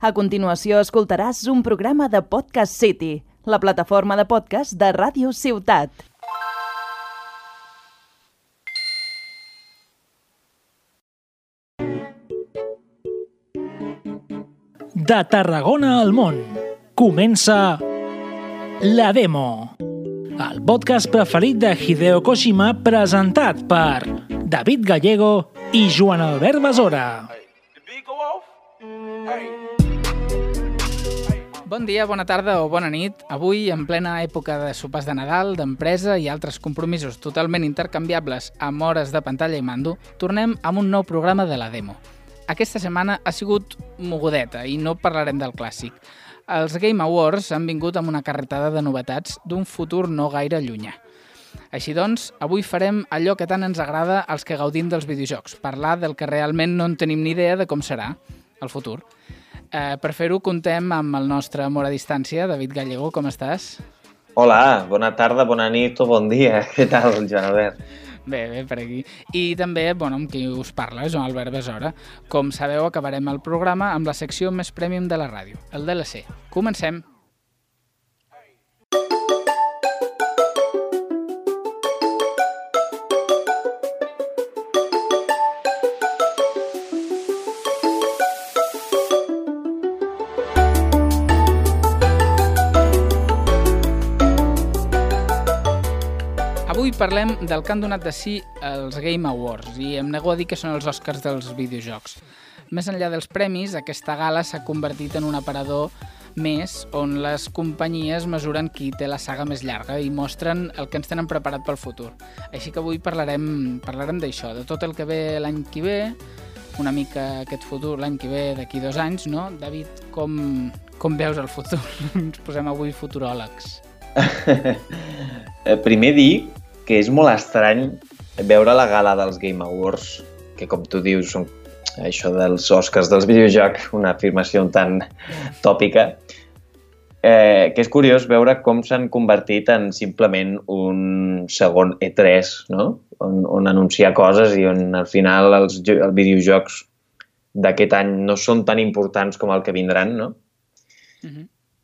A continuació escoltaràs un programa de Podcast City, la plataforma de podcast de Ràdio Ciutat. De Tarragona al món, comença La Demo, el podcast preferit de Hideo Kojima presentat per David Gallego i Joan Albert Besora. Bon dia, bona tarda o bona nit. Avui, en plena època de sopars de Nadal, d'empresa i altres compromisos totalment intercanviables amb hores de pantalla i mando, tornem amb un nou programa de La Demo. Aquesta setmana ha sigut mogudeta i no parlarem del clàssic. Els Game Awards han vingut amb una carretada de novetats d'un futur no gaire llunyà. Així doncs, avui farem allò que tant ens agrada als que gaudim dels videojocs, parlar del que realment no en tenim ni idea de com serà el futur. Per fer-ho, contem amb el nostre amor a distància, David Gallego, com estàs? Hola, bona tarda, bona nit o bon dia. Què tal, Joan Albert? Bé, per aquí. I també, amb qui us parla, Joan Albert Besora. Com sabeu, acabarem el programa amb la secció més prèmium de la ràdio, el DLC. Comencem! Avui parlem del que han donat de si els Game Awards i em nego a dir que són els Oscars dels videojocs. Més enllà dels premis, aquesta gala s'ha convertit en un aparador més on les companyies mesuren qui té la saga més llarga i mostren el que ens tenen preparat pel futur. Així que avui parlarem d'això, de tot el que ve l'any que ve, una mica aquest futur l'any que ve d'aquí 2 anys, no? David, com veus el futur? Ens posem avui futuròlegs. Primer dir que és molt estrany veure la gala dels Game Awards, que com tu dius són això dels Oscars dels videojocs, una afirmació tan tòpica, que és curiós veure com s'han convertit en simplement un segon E3, no? On anunciar coses i on al final els videojocs d'aquest any no són tan importants com el que vindran, no?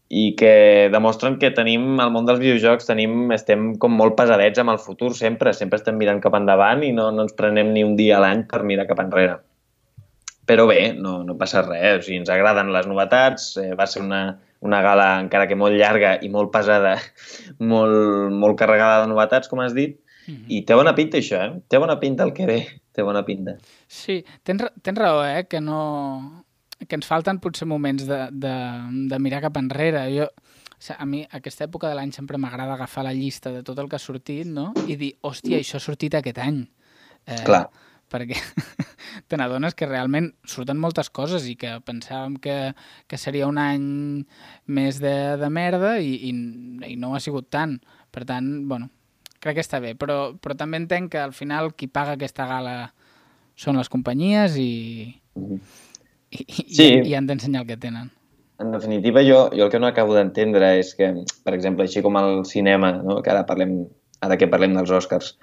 I que demostren que tenim, al món dels videojocs, estem com molt pesadets amb el futur sempre estem mirant cap endavant i no ens prenem ni un dia a l'any per mirar cap enrere. Però bé, no passa res, o sigui, ens agraden les novetats, va ser una gala encara que molt llarga i molt pesada, molt carregada de novetats, com has dit, i té bona pinta això, té bona pinta el que ve, té bona pinta. Sí, tens raó, que ens falten potser moments de mirar cap enrere. A mi aquesta època de l'any sempre m'agrada agafar la llista de tot el que ha sortit, no? I dir, hòstia, això ha sortit aquest any. Clar. Perquè te n'adones que realment surten moltes coses i que pensàvem que seria un any més de merda i no ha sigut tant. Per tant, crec que està bé. Però també entenc que al final qui paga aquesta gala són les companyies i han d'ensenyar el que tenen. En definitiva, jo el que no acabo d'entendre és que, per exemple, així com el cinema, no? Que ara que parlem dels Oscars,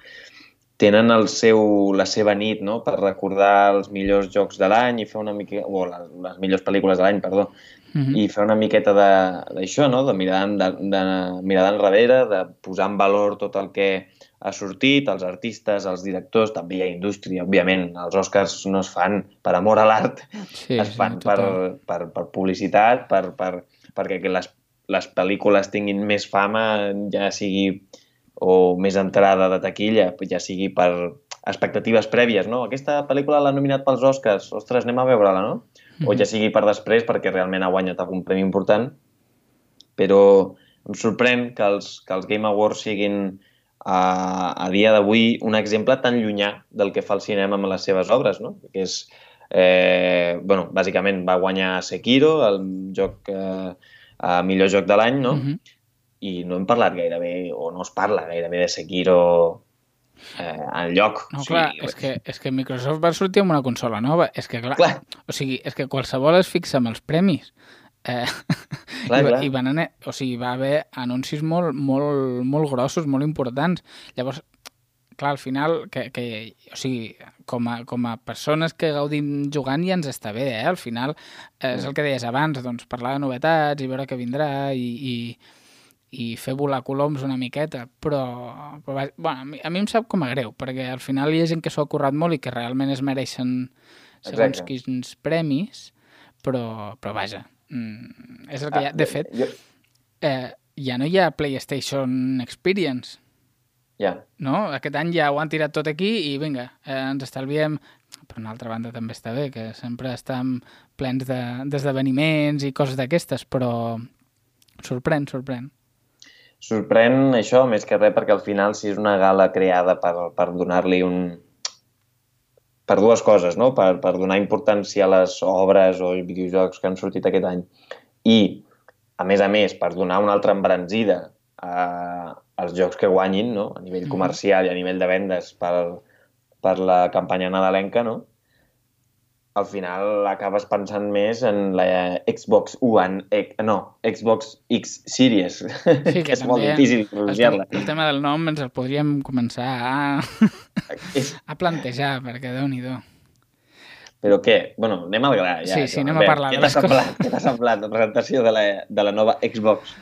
tenen la seva nit, no? Per recordar els millors jocs de l'any i fer una mica... o les millors pel·lícules de l'any, perdó. I fer una miqueta d'això, no? De mirar d'enrere, de posar en valor tot el que ha sortit, els artistes, els directors, també hi ha indústria, òbviament. Els Oscars no es fan per amor a l'art, es fan per publicitat, perquè les pel·lícules tinguin més fama, ja sigui o més entrada de taquilla, ja sigui per expectatives prèvies, no? Aquesta pel·lícula l'ha nominat pels Oscars, ostres, anem a veure-la, no? O ja sigui per després, perquè realment ha guanyat algun premi important. Però em sorprèn que els Game Awards siguin a dia d'avui un exemple tan llunyà del que fa el cinema amb les seves obres, no? Que és, bàsicament va guanyar Sekiro, el millor joc de l'any, no? I no hem parlat gairebé, o no es parla gairebé de Sekiro enlloc. No, clar, és que Microsoft va sortir amb una consola nova. És que, clar. O sigui, és que qualsevol es fixa amb els premis. I va haver anuncis molt grossos, molt importants. Llavors, clar, al final, o sigui, com a persones que gaudim jugant ja ens està bé, Al final, és el que deies abans, doncs parlar de novetats i veure què vindrà i fer volar coloms una miqueta, però bueno, a mi em sap com a greu, perquè al final hi ha gent que s'ho ha currat molt i que realment es mereixen segons quins premis, però vaja, és el que hi ha. De fet, ja no hi ha PlayStation Experience. Ja. No? Aquest any ja ho han tirat tot aquí i vinga, ens estalviem. Per una altra banda també està bé, que sempre estem plens d'esdeveniments i coses d'aquestes, però sorprèn. Sorprèn això, més que res, perquè al final si és una gala creada per donar-li per dues coses, no? Per donar importància a les obres o videojocs que han sortit aquest any i, a més, per donar una altra embranzida als jocs que guanyin, no? A nivell comercial i a nivell de vendes per la campanya nadalenca, no? Al final acabes pensant més en la Xbox One, Xbox X Series, sí, que és molt difícil pronunciar-la. El tema del nom ens el podríem començar a plantejar, perquè Déu-n'hi-do. Però què? Bueno, anem al gra. Ja, sí, anem a parlar de les coses. Què t'ha semblat la presentació de la nova Xbox?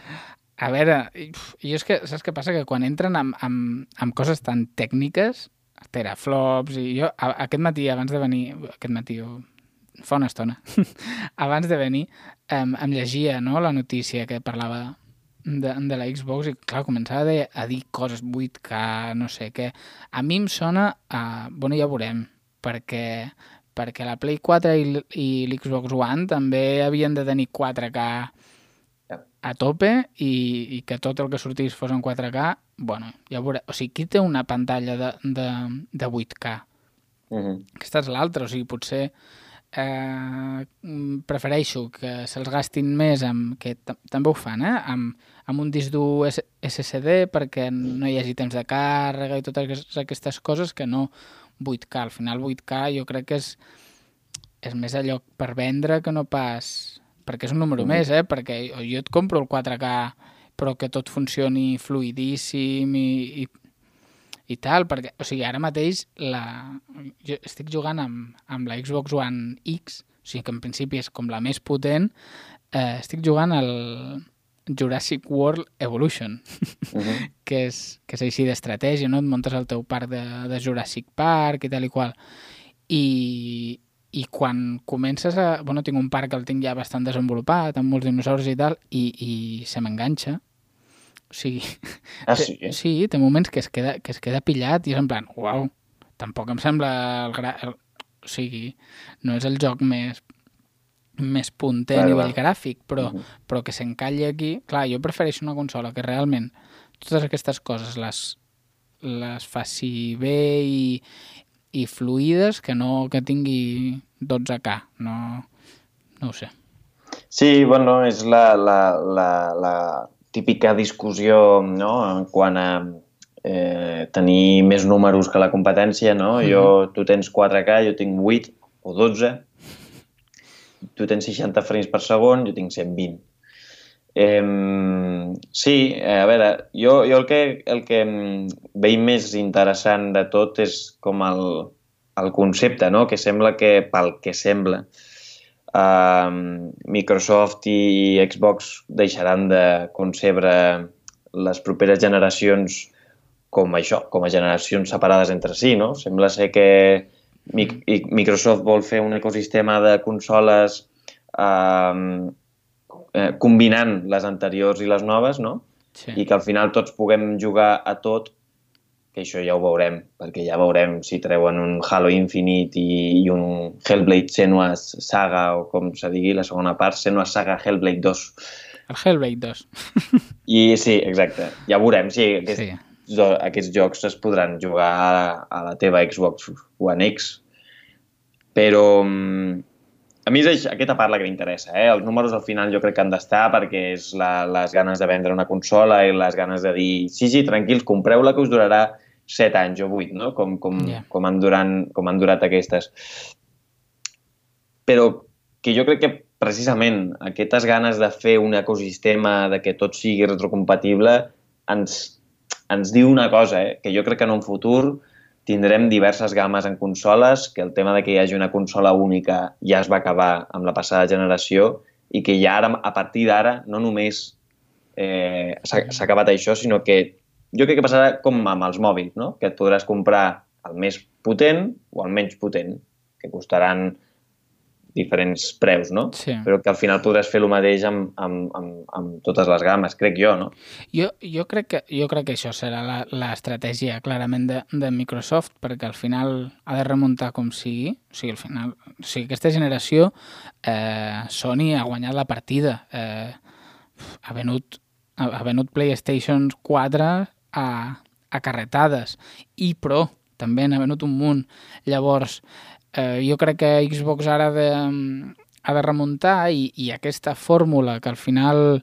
A veure, jo és que, saps què passa? Que quan entren amb coses tan tècniques, teraflops, i jo aquest matí, fa una estona, abans de venir, em llegia, no?, la notícia que parlava de la Xbox i, clar, començava a dir coses 8K, no sé què. A mi em sona bueno, ja ho veurem, perquè la Play 4 i l'Xbox One també havien de tenir 4K a tope i que tot el que sortís fos en 4K, bueno, ja veuré. O sigui, qui té una pantalla de 8K? Aquesta és l'altra, o sigui, potser prefereixo que se'ls gastin més que també ho fan, amb un disc dur SSD perquè no hi hagi temps de càrrega i totes aquestes coses que no 8K. Al final 8K jo crec que és més allò per vendre que no pas... perquè és un número més, perquè jo et compro el 4K però que tot funcioni fluidíssim i tal, perquè, o sigui, ara mateix jo estic jugant amb la Xbox One X, o sigui que en principi és com la més potent, estic jugant al Jurassic World Evolution, que és així d'estratègia, no? Et muntes el teu parc de Jurassic Park i tal i qual, i quan comences bueno, tinc un parc que el tinc ja bastant desenvolupat, amb molts dinosaures i tal, i se m'enganxa. O sigui... sí? Sí, té moments que es queda pillat i és en plan, uau, tampoc em sembla o sigui, no és el joc més punter a nivell gràfic, però que s'encalli aquí... Clar, jo prefereixo una consola que realment totes aquestes coses les faci bé i fluides, que tingui 12K, no ho sé. Sí, bueno, és la típica discussió, no?, en quant a tenir més números que la competència, no? Tu tens 4K, jo tinc 8 o 12, tu tens 60 frames per segon, jo tinc 120. Sí, a veure, jo el que veig més interessant de tot és com el concepte, no?, que sembla que, pel que sembla, Microsoft i Xbox deixaran de concebre les properes generacions com això, com a generacions separades entre si, no? Sembla ser que Microsoft vol fer un ecosistema de consoles combinant les anteriors i les noves, no? Sí. I que al final tots puguem jugar a tot, que això ja ho veurem, perquè ja veurem si treuen un Halo Infinite i un Hellblade Senua's Saga, o com se digui, la segona part, Senua's Saga Hellblade 2. El Hellblade 2. I sí, exacte. Ja veurem si aquests jocs es podran jugar a la teva Xbox One X. Però a mi és aquesta part la que m'interessa. Els números al final jo crec que han d'estar perquè és les ganes de vendre una consola i les ganes de dir sí, tranquils, compreu-la que us durarà 7 anys o 8, no? Com han durat aquestes. Però que jo crec que precisament aquestes ganes de fer un ecosistema, de que tot sigui retrocompatible, ens ens diu una cosa, que jo crec que en un futur tindrem diverses games en consoles, que el tema de que hi hagi una consola única ja es va acabar amb la passada generació i que ja ara, a partir d'ara, no només s'ha acabat això, sinó que jo crec que passarà com amb els mòbils, no? Que et podràs comprar el més potent o el menys potent, que costaran diferents preus, no? Sí. Però que al final podràs fer el mateix amb totes les games, crec jo, no? Jo crec que això serà l'estratègia clarament de Microsoft, perquè al final ha de remuntar com sigui. O sigui, al final, aquesta generació Sony ha guanyat la partida. Ha venut PlayStation 4 a carretades i Pro també n'ha venut un munt. Llavors, jo crec que Xbox ara ha de remuntar i aquesta fórmula que al final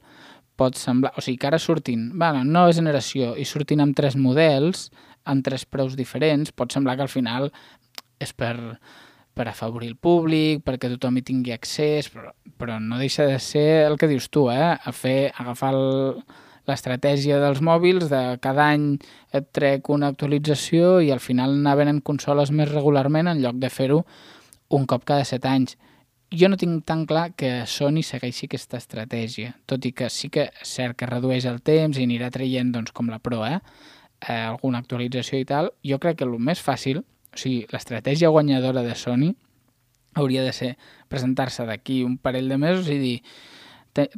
pot semblar... O sigui, que ara surtin, nova generació, i surtin amb 3 models, amb 3 preus diferents, pot semblar que al final és per afavorir el públic, perquè tothom hi tingui accés, però no deixa de ser el que dius tu, agafar l'estratègia dels mòbils, de cada any et trec una actualització i al final anar venent consoles més regularment en lloc de fer-ho un cop cada 7 anys. Jo no tinc tan clar que Sony segueixi aquesta estratègia, tot i que sí que és cert que redueix el temps i anirà traient, doncs, com la Pro, alguna actualització i tal. Jo crec que el més fàcil, o sigui, l'estratègia guanyadora de Sony hauria de ser presentar-se d'aquí un parell de mesos i dir: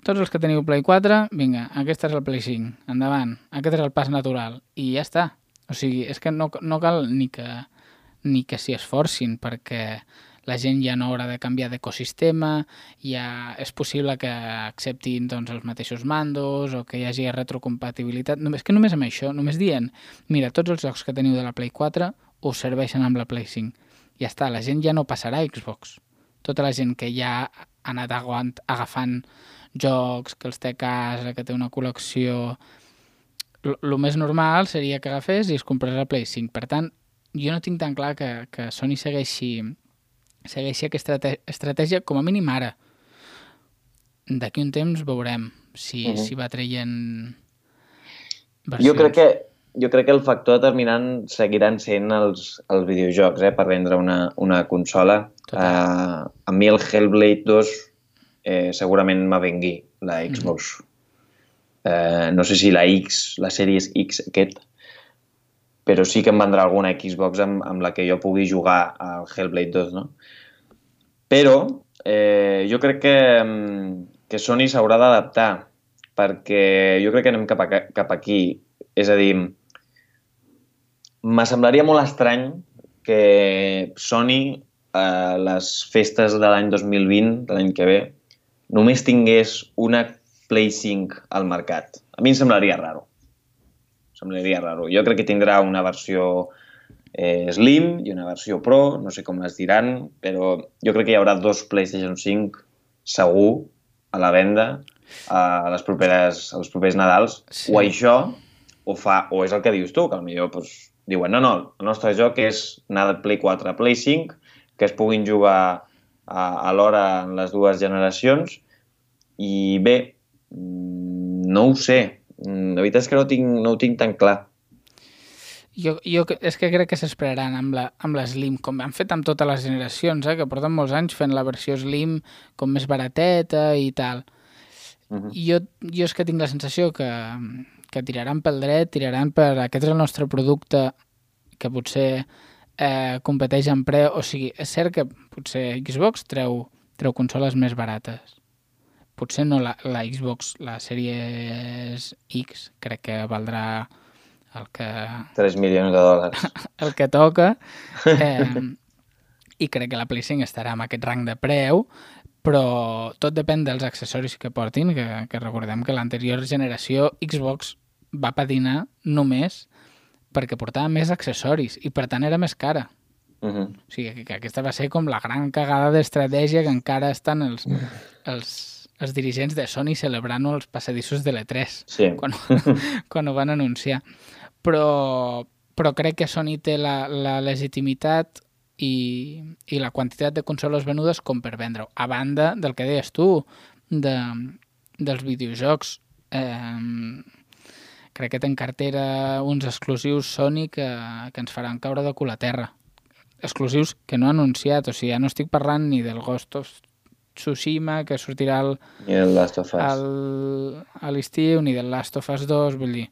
tots els que teniu Play 4, vinga, aquest és el Play 5, endavant, aquest és el pas natural, i ja està. O sigui, és que no cal ni que s'hi esforcin, perquè la gent ja no haurà de canviar d'ecosistema, ja és possible que acceptin, doncs, els mateixos mandos o que hi hagi retrocompatibilitat. És que només amb això, només dient, mira, tots els jocs que teniu de la Play 4 us serveixen amb la Play 5. Ja està, la gent ja no passarà a Xbox. Tota la gent que ja ha anat agafant jocs, que els té a casa, que té una col·lecció... El més normal seria que agafés i es comprés la Play 5. Per tant, jo no tinc tan clar que Sony segueixi aquesta estratègia, com a mínim ara. D'aquí un temps veurem si va traient versions. Jo crec que el factor determinant seguiran sent els videojocs, per vendre una consola. A mi el Hellblade 2 segurament m'avengui la Xbox. No sé si la Series X aquest, però sí que em vendrà alguna Xbox amb la que jo pugui jugar al Hellblade 2, no? Però jo crec que Sony s'haurà d'adaptar, perquè jo crec que anem cap aquí. És a dir, me semblaria molt estrany que Sony a les festes de l'any 2020, de l'any que ve, només tingués una Play 5 al mercat. A mi em semblaria raro. Jo crec que tindrà una versió Slim i una versió Pro, no sé com les diran, però jo crec que hi haurà 2 PlayStation 5 segur a la venda als propers Nadals. Sí. O això, o és el que dius tu, que potser diuen, no, el nostre joc és anar de Play 4 a Play 5, que es puguin jugar alhora en les dues generacions, i bé, no ho sé. La veritat és que no ho tinc tan clar. Jo és que crec que s'esperaran amb la Slim, com han fet amb totes les generacions, que porten molts anys fent la versió Slim com més barateta i tal. Jo és que tinc la sensació que tiraran pel dret, tiraran per aquest és el nostre producte, que potser competeix en preu. O sigui, és cert que potser Xbox treu consoles més barates. Potser no la Xbox, la Series X, crec que valdrà el que... 3 milions de dòlars. El que toca. I crec que la Play 5 estarà en aquest rang de preu, però tot depèn dels accessoris que portin, que recordem que l'anterior generació Xbox va patinar només perquè portava més accessoris i per tant era més cara. O sigui, que aquesta va ser com la gran cagada d'estratègia que encara estan els dirigents de Sony celebrant-ho als passadissos de l'E3 quan ho van anunciar. Però crec que Sony té la legitimitat i la quantitat de consoles venudes com per vendre-ho. A banda del que deies tu, dels videojocs, crec que té en cartera uns exclusius Sony que ens faran caure de cul a terra. Exclusius que no ha anunciat, o sigui, ja no estic parlant ni del Ghost of Tsushima, que sortirà I el Last of Us. a l'estiu, ni del Last of Us 2, vull dir.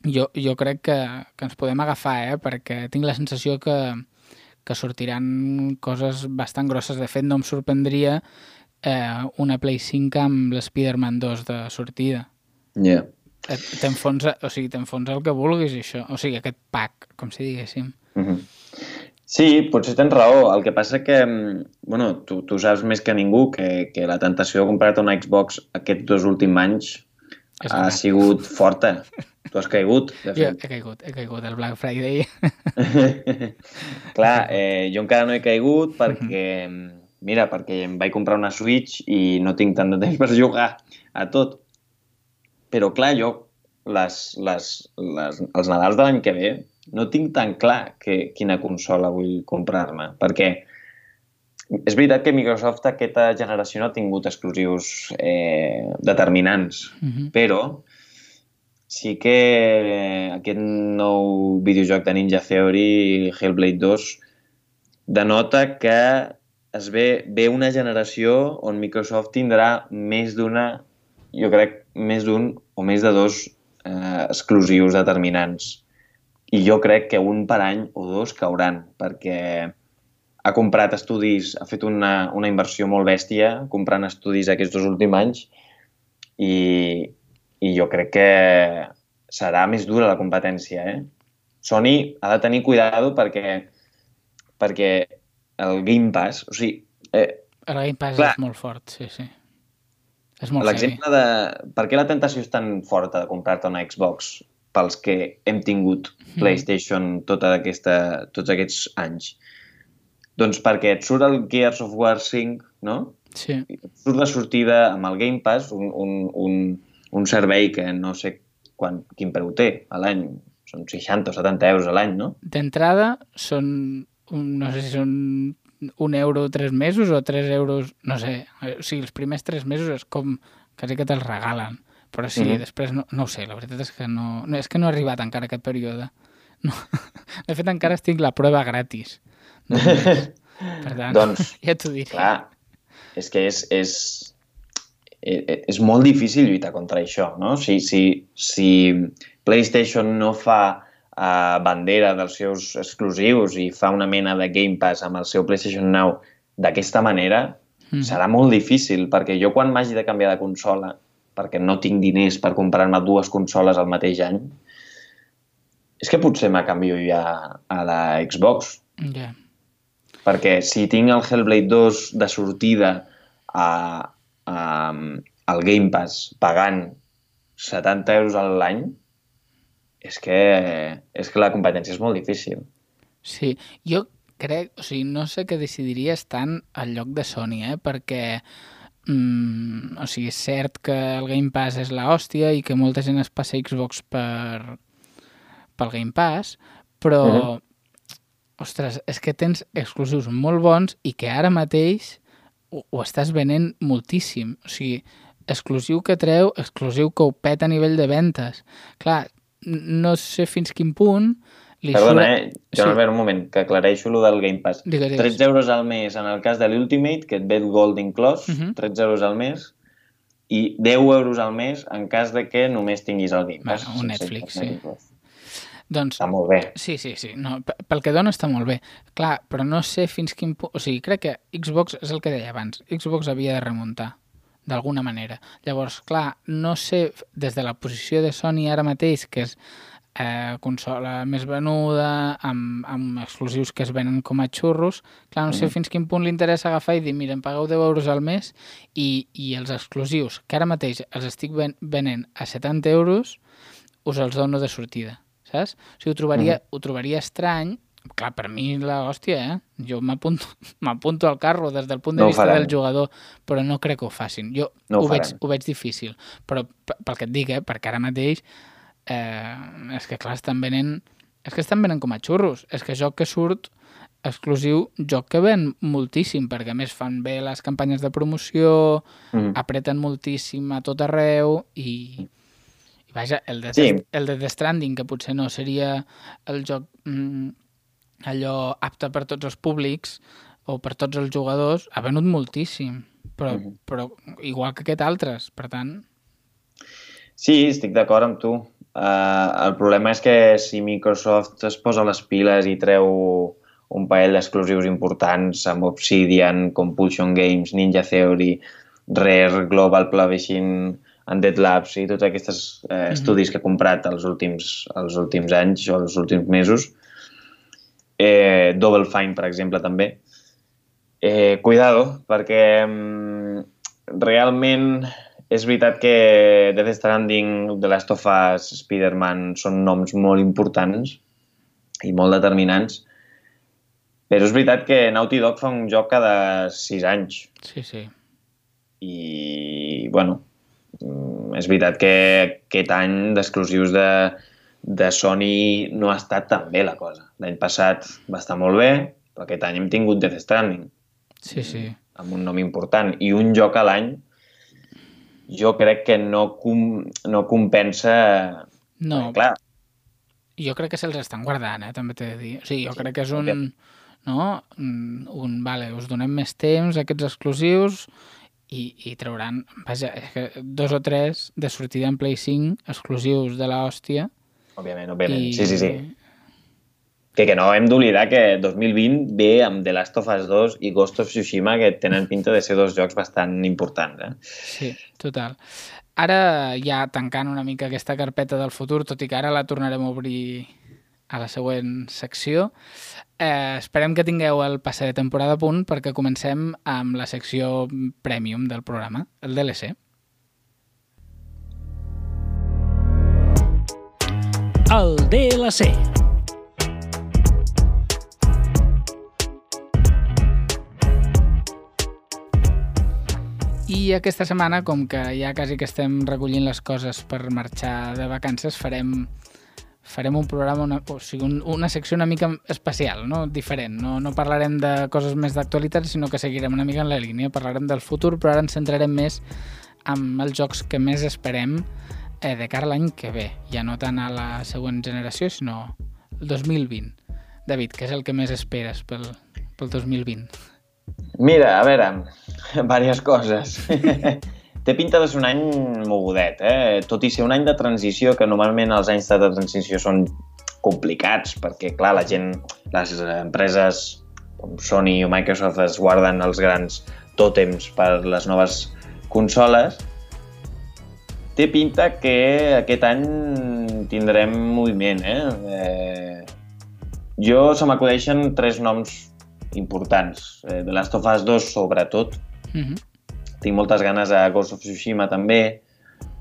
Jo crec que ens podem agafar, perquè tinc la sensació que sortiran coses bastant grosses. De fet, no em sorprendria una Play 5 amb l'Spider-Man 2 de sortida. Yeah. T'enfonsa el que vulguis, això. O sigui, aquest pack, com si diguéssim. Sí, potser tens raó. El que passa que, bueno, tu saps més que ningú que la tentació de comprar-te una Xbox aquests 2 últims anys ha sigut forta. Tu has caigut, de fet. Jo he caigut el Black Friday. Clar, jo encara no he caigut perquè, perquè em vaig comprar una Switch i no tinc tant de temps per jugar a tot. Però clar, jo els Nadals de l'any que ve no tinc tan clar quina consola vull comprar-me, perquè és veritat que Microsoft aquesta generació no ha tingut exclusius determinants, però sí que aquest nou videojoc de Ninja Theory, Hellblade 2, denota que es ve una generació on Microsoft tindrà més d'una, jo crec, més d'un o més de 2 exclusius determinants. I jo crec que un per any o 2 cauran, perquè ha comprat estudis, ha fet una inversió molt bèstia comprant estudis aquests 2 últims anys i jo crec que serà més dura la competència. Sony ha de tenir cuidado perquè el Game Pass, o sigui... El Game Pass és molt fort, sí. És molt l'exemple de per què la tentació és tan forta de comprar-te una Xbox pels que hem tingut PlayStation tots aquests anys. Doncs perquè et surt el Gears of War 5, no? Sí. Et surt de sortida amb el Game Pass, un servei que no sé quin preu té a l'any. Són 60 o 70 euros a l'any, no? D'entrada són, no sé si són €1 3 mesos o 3 euros, no sé. O sigui, els primers 3 mesos és com quasi que te'ls regalen. Però sí, després no ho sé, la veritat és que no ha arribat encara aquest període. No. De fet, encara estic la prova gratis. Per tant, doncs, ja t'ho diré. Clar, és que és molt difícil lluitar contra això, no? Si PlayStation no fa bandera dels seus exclusius i fa una mena de Game Pass amb el seu PlayStation Now d'aquesta manera, serà molt difícil, perquè jo quan m'hagi de canviar de consola, perquè no tinc diners per comprar-me 2 consoles al mateix any, és que potser me canvio ja a la Xbox. Yeah. Perquè si tinc el Hellblade 2 de sortida al Game Pass pagant 70 euros a l'any, és que la competència és molt difícil. Sí, jo crec, o sigui, no sé què decidiria estant al lloc de Sony, perquè o sigui, és cert que el Game Pass és l'hòstia i que molta gent es passa Xbox pel Game Pass, però ostres, és que tens exclusius molt bons i que ara mateix ho estàs venent moltíssim. O sigui, exclusiu que treu, exclusiu que ho peta a nivell de ventes. Clar, no sé fins quin punt... Perdona, Joan Albert, un moment, que aclareixo lo del Game Pass. Digues. 13 euros al mes en el cas de l'Ultimate, que et ve el Gold inclòs, 13 euros al mes, i 10 euros al mes en cas de que només tinguis el Game Pass. Un Netflix, sí. Doncs, està molt bé. Sí. No, pel que dona està molt bé. Clar, però no sé fins quin punt... O sigui, crec que Xbox és el que deia abans. Xbox havia de remuntar, d'alguna manera. Llavors, clar, no sé, des de la posició de Sony ara mateix, que és consola més venuda, amb exclusius que es venen com a xurros, clar, no sé fins quin punt li interessa agafar i dir, mira, em pagueu 10 euros al mes i els exclusius, que ara mateix els estic venent a 70 euros, us els dono de sortida, saps? O sigui, ho trobaria estrany. Clar, per mi l'hòstia, Jo m'apunto al carro des del punt de vista del jugador, però no crec que ho facin. Jo ho veig difícil, però pel que et dic, perquè ara mateix és que clar, estan venent com a xurros. És que joc que surt exclusiu, joc que ven moltíssim, perquè a més fan bé les campanyes de promoció, apreten moltíssim a tot arreu i Vaja, el de Death Stranding, que potser no seria el joc allò apte per tots els públics o per tots els jugadors, ha venut moltíssim, però igual que aquest altres, per tant... Sí, estic d'acord amb tu. El problema és que si Microsoft es posa les piles i treu un parell d'exclusius importants amb Obsidian, Compulsion Games, Ninja Theory, Rare, Global Publishing, Undead Labs i tots aquests estudis que ha comprat els últims anys o els últims mesos, Double Fine, per exemple, també. Cuidado, perquè realment és veritat que Death Stranding, The Last of Us, Spider-Man són noms molt importants i molt determinants, però és veritat que Naughty Dog fa un joc cada 6 anys. Sí. I, bueno, és veritat que aquest any d'exclusius de Sony no ha estat tan bé la cosa. L'any passat va estar molt bé, però aquest any hem tingut Death Stranding. Sí. Amb un nom important. I un joc a l'any jo crec que no compensa... No, perquè, clar. Jo crec que se'ls estan guardant, també t'he de dir. O sigui, jo crec que és un... No? Vale, us donem més temps, aquests exclusius, i trauran, vaja, 2 o 3 de sortida en Play 5 exclusius de l'hòstia. Òbviament. Sí. Que no hem d'oblidar que 2020 ve amb The Last of Us 2 i Ghost of Tsushima, que tenen pinta de ser 2 jocs bastant importants. Sí, total. Ara, ja tancant una mica aquesta carpeta del futur, tot i que ara la tornarem a obrir a la següent secció, esperem que tingueu el passe de temporada a punt perquè comencem amb la secció Premium del programa, el DLC. El DLC. I aquesta setmana, com que ja quasi que estem recollint les coses per marxar de vacances, farem un programa, una secció una mica especial, no? Diferent. No parlarem de coses més d'actualitat, sinó que seguirem una mica en la línia. Parlarem del futur, però ara ens centrarem més en els jocs que més esperem de cara a l'any que ve. Ja no tant a la següent generació, sinó el 2020. David, què és el que més esperes pel 2020? Mira, a veure, diverses coses. Té pinta de ser un any mogudet, tot i ser un any de transició, que normalment els anys de transició són complicats, perquè, clar, la gent, les empreses com Sony o Microsoft es guarden els grans tòtems per les noves consoles. Té pinta que aquest any tindrem moviment, Jo se m'acudeixen 3 noms importants. The Last of Us 2, sobretot. Tinc moltes ganes a Ghost of Tsushima, també,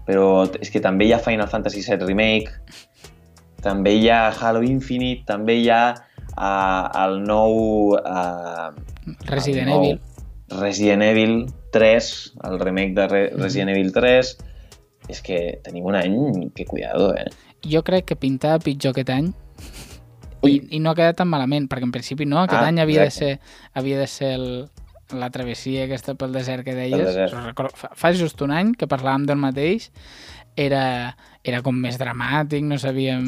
però és que també hi ha Final Fantasy VII Remake, també hi ha Halo Infinite, també hi ha el nou... Resident Evil 3, el remake de Resident Evil 3. És que tenim un any que cuidado, Jo crec que pintava pitjor aquest any. I no ha quedat tan malament, perquè en principi no, aquest any havia de ser la travessia aquesta pel desert que deies. Fa just un any que parlàvem del mateix, era com més dramàtic, no sabíem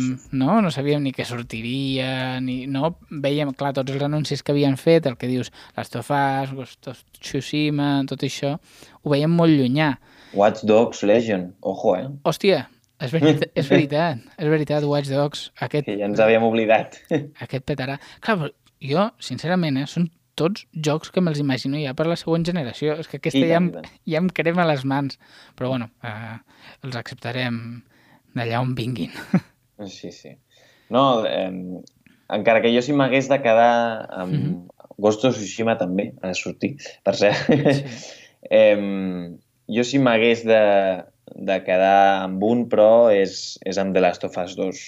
ni què sortiria, veiem, clar, tots els anuncis que havien fet, el que dius, Last of Us, Ghost of Tsushima, tot això, ho veiem molt llunyà. Watch Dogs Legion, ojo, Hòstia, és veritat, Watch Dogs. Que ja ens havíem oblidat. Aquest petarà. Clar, però jo, sincerament, són tots jocs que me'ls imagino ja per la següent generació. És que aquesta ja em crema les mans. Però bueno, els acceptarem d'allà on vinguin. Sí. No, encara que jo si m'hagués de quedar amb Ghost of Tsushima també ha de sortir, per cert. Jo si m'hagués de quedar amb un, però és amb The Last of Us 2.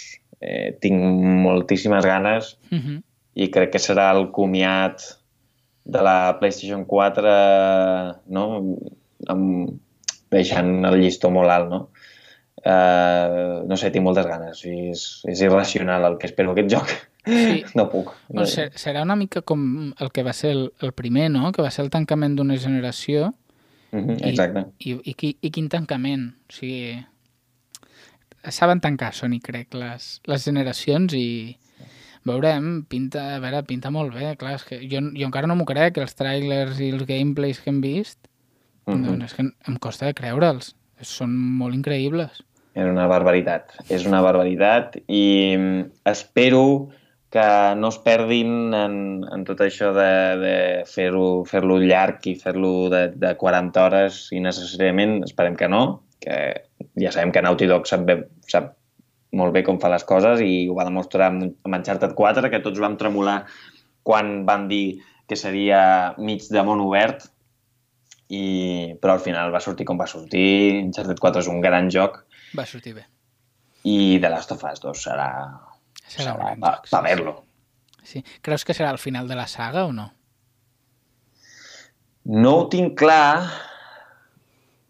Tinc moltíssimes ganes i crec que serà el comiat de la PlayStation 4, deixant el llistó molt alt, no? No sé, tinc moltes ganes. És irracional el que espero aquest joc. Sí. No puc. Serà una mica com el que va ser el primer, no? Que va ser el tancament d'una generació. Exacte. I quin tancament. O sigui, saben tancar Sony, crec, les generacions i veurem, pinta molt bé. Clar, és que jo encara no m'ho crec, els trailers i els gameplays que hem vist, doncs és que em costa de creure'ls. Són molt increïbles. És una barbaritat i espero que no es perdin en tot això de fer-lo llarg i fer-lo de 40 hores innecessàriament. Esperem que no, que ja sabem que Naughty Dog sap molt bé com fa les coses i ho va demostrar amb Uncharted 4, que tots vam tremolar quan van dir que seria mig de món obert, però al final va sortir com va sortir. Uncharted 4 és un gran joc. Va sortir bé. I The Last of Us 2 serà un gran joc. Per ver-lo. Sí. Creus que serà el final de la saga o no? No ho tinc clar.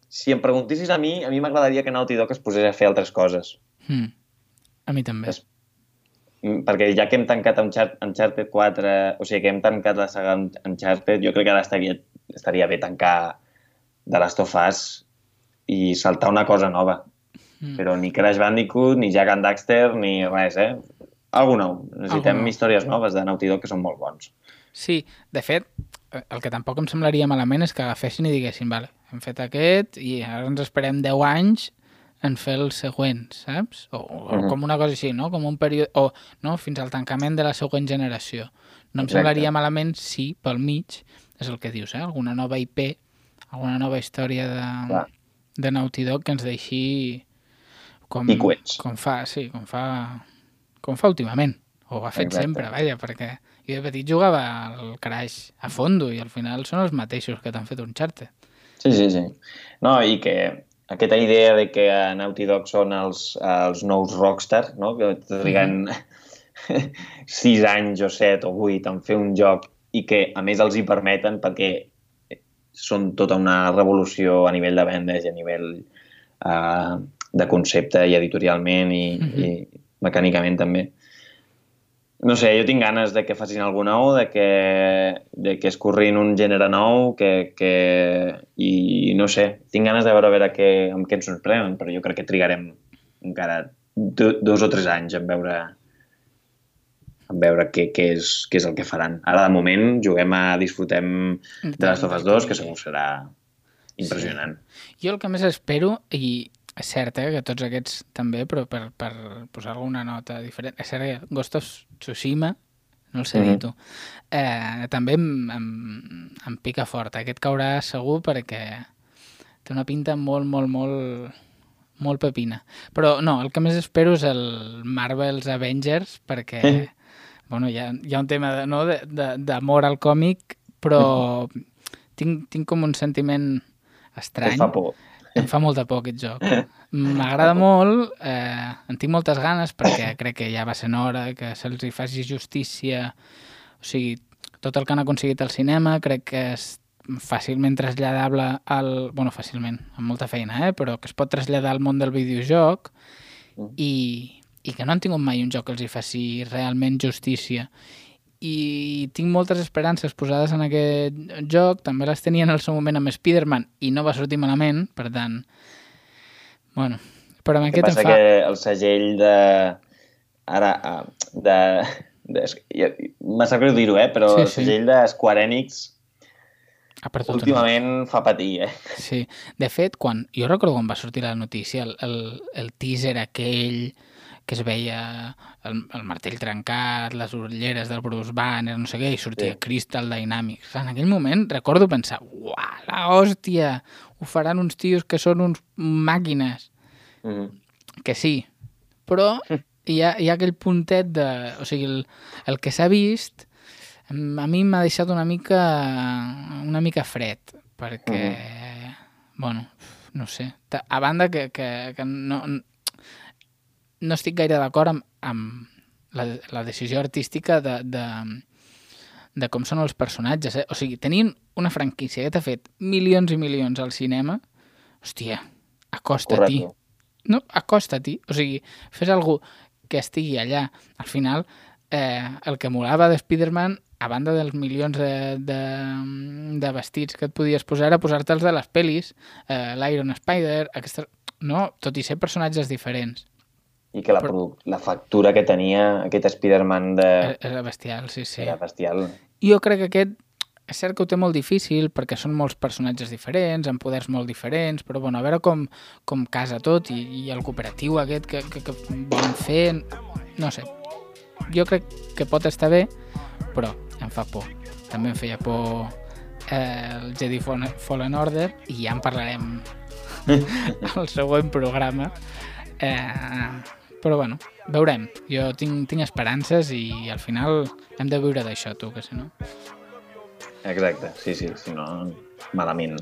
Si em preguntissis a mi m'agradaria que Naughty Dog es posés a fer altres coses. A mi també. Perquè ja que hem tancat Uncharted 4, o sigui, que hem tancat la saga Uncharted, jo crec que ara estaria bé tancar The Last of Us i saltar una cosa nova. Però ni Crash Bandicoot, ni Jak and Daxter, ni res, Algú nou. Necessitem històries noves de Naughty Dog que són molt bons. Sí, de fet, el que tampoc em semblaria malament és que agafessin i diguessin, vale, hem fet aquest i ara ens esperem 10 anys en fer el següent, saps? O com una cosa així, no? Com un període... O no? Fins al tancament de la següent generació. No em semblaria malament si, pel mig, és el que dius, alguna nova IP, alguna nova història de Naughty Dog que ens deixi com fa últimament. O ha fet sempre, vaja, perquè jo de petit jugava al Crash a fondo i al final són els mateixos que t'han fet Uncharted. Sí. No, i que aquesta idea de que a Naughty Dog són els nous Rockstar, no? Que triguen 6 anys o 7 o 8 en fer un joc i que a més els hi permeten perquè són tota una revolució a nivell de vendes i a nivell de concepte i editorialment i mecànicament també. No sé, jo tinc ganes de que facin alguna nou, de que es corrin un gènere nou, i no sé, tinc ganes de veure amb què ens sorprenen, però jo crec que trigarem encara 2 o 3 anys en veure què és el que faran. Ara, de moment, disfrutem de Last of Us 2, que segur serà impressionant. Sí. Jo el que més espero, i és cert que tots aquests també, però per posar alguna nota diferent, és cert que Ghost of Tsushima, no el sé dir tu, també em pica fort. Aquest caurà segur perquè té una pinta molt pepina. Però no, el que més espero és el Marvel's Avengers, perquè bueno, hi ha un tema d'amor al còmic, però tinc com un sentiment estrany. Et fa por. Em fa molta por aquest joc. M'agrada molt, en tinc moltes ganes perquè crec que ja va sent hora que se'ls hi faci justícia. O sigui, tot el que han aconseguit al cinema crec que és fàcilment traslladable fàcilment, amb molta feina, però que es pot traslladar al món del videojoc i que no han tingut mai un joc que els hi faci realment justícia. I tinc moltes esperances posades en aquest joc, també les tenia en el seu moment amb Spider-Man i no va sortir malament, per tant, bueno, però amb aquest em fa... que el segell m'ha sap greu dir-ho, però el segell de Square Enix últimament fa patir, Sí, de fet, jo recordo quan va sortir la notícia, el teaser aquell que es veia el martell trencat, les ulleres del Bruce Banner, no sé què, i sortia Crystal Dynamics. En aquell moment recordo pensar, uah, la hòstia, ho faran uns tios que són uns màquines. Que sí, però hi ha aquell puntet de... O sigui, el que s'ha vist a mi m'ha deixat una mica fred, perquè, bueno, no sé, a banda que no estic gaire d'acord amb la decisió artística de com són els personatges. O sigui, tenint una franquícia que t'ha fet milions i milions al cinema, hòstia, acosta-t'hi. No, acosta-t'hi. O sigui, fes algú que estigui allà. Al final, el que molava de Spider-Man, a banda dels milions de vestits que et podies posar, era posar-te'ls de les pel·lis, l'Iron Spider, tot i ser personatges diferents. i que la factura que tenia aquest Spider-Man Era bestial, sí. era bestial. Jo crec que aquest és cert que ho té molt difícil perquè són molts personatges diferents, amb poders molt diferents, però bueno, a veure com casa tot i el cooperatiu aquest que volen fer, no sé. Jo crec que pot estar bé, però em fa por. També em feia por el Jedi Fallen Order i ja en parlarem al següent programa. Però bueno, veurem. Jo tinc esperances i al final hem de viure d'això, tu, que si no... Exacte, sí, si no, malament.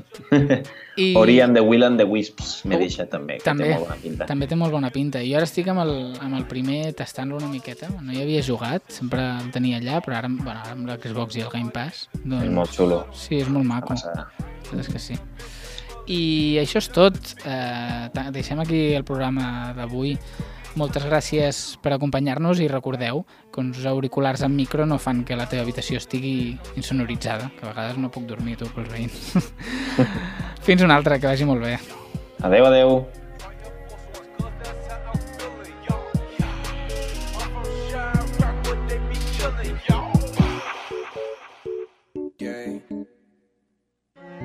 Ori and the Will and the Wisps m'he deixat també, que té molt bona pinta. També té molt bona pinta. Jo ara estic amb el primer tastant-lo una miqueta. No hi havia jugat, sempre el tenia allà, però ara amb l'Xbox i el Game Pass... Doncs... És molt xulo. Sí, és molt maco. És que sí. I això és tot. Deixem aquí el programa d'avui. Moltes gràcies per acompanyar-nos i recordeu que uns auriculars amb micro no fan que la teva habitació estigui insonoritzada, que a vegades no puc dormir tu pels veïns. Fins una altra, que vagi molt bé. Adeu, adeu.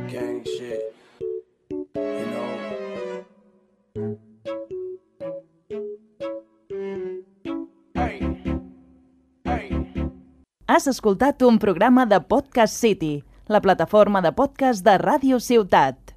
Gang shit, you know. Has escoltat un programa de Podcast City, la plataforma de podcast de Ràdio Ciutat.